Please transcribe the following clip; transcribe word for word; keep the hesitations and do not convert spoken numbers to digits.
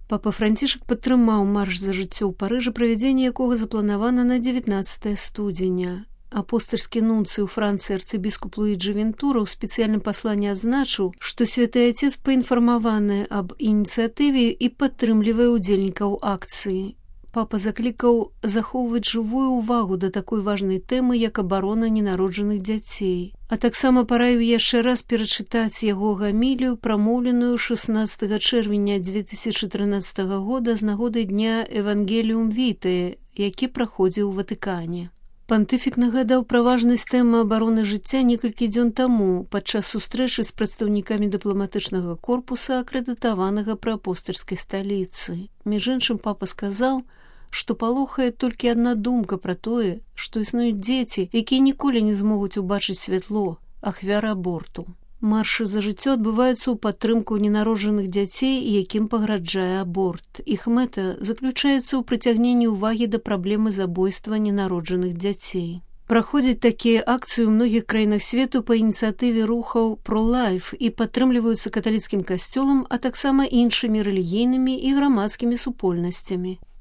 Папа Францішак падтрымаў марш за жыццё ў Парыжы, правядзенне якога запланавана на дзевятнаццатае студзеня. Апостальскі нунцый у Францыі арцыбіскуп Луіджы Вентура ў спецыяльным пасланні адзначыў, што святы Отец паінфармаваны аб ініцыятыве і падтрымлівае ўдзельнікаў акцыі. Папа заклікаў захоўваць жывую ўвагу да такой важнай тэмы, як абарона ненароджаных дзяцей. А таксама параіў яшчэ раз перачытаць яго гамілію, прамоўленую шаснаццатага чэрвеня дзве тысячы трынаццатага года з нагоды дня Евангеліум Вітае, які праходзіў у Ватыкане. Пантыфік нагадаў пра важнасць тэмы абароны жыцця некалькі дзён таму падчас сустрэчы з прадстаўнікамі дыпламатычнага корпуса, акрэдытаванага пры апостальскай сталіцы. Між іншым, папа сказаў, што палохае толькі адна думка пра тое, што існуюць дзеці, якія ніколі не змогуць убачыць святло, ахвяры аборту. Маршы за жыццё адбываюцца ў падтрымку ненароджаных дзяцей, якім пагражае аборт. Іх мэта заключаецца ў прыцягненні ўвагі да праблемы забойства ненароджаных дзяцей. Праходзяць такія акцыі ў многіх краінах свету па ініцыятыве рухаў «Про-лайф» і падтрымліваюцца каталіцкім касцёлам, а таксама іншымі рэлігійнымі і грамадскімі супольнасцямі.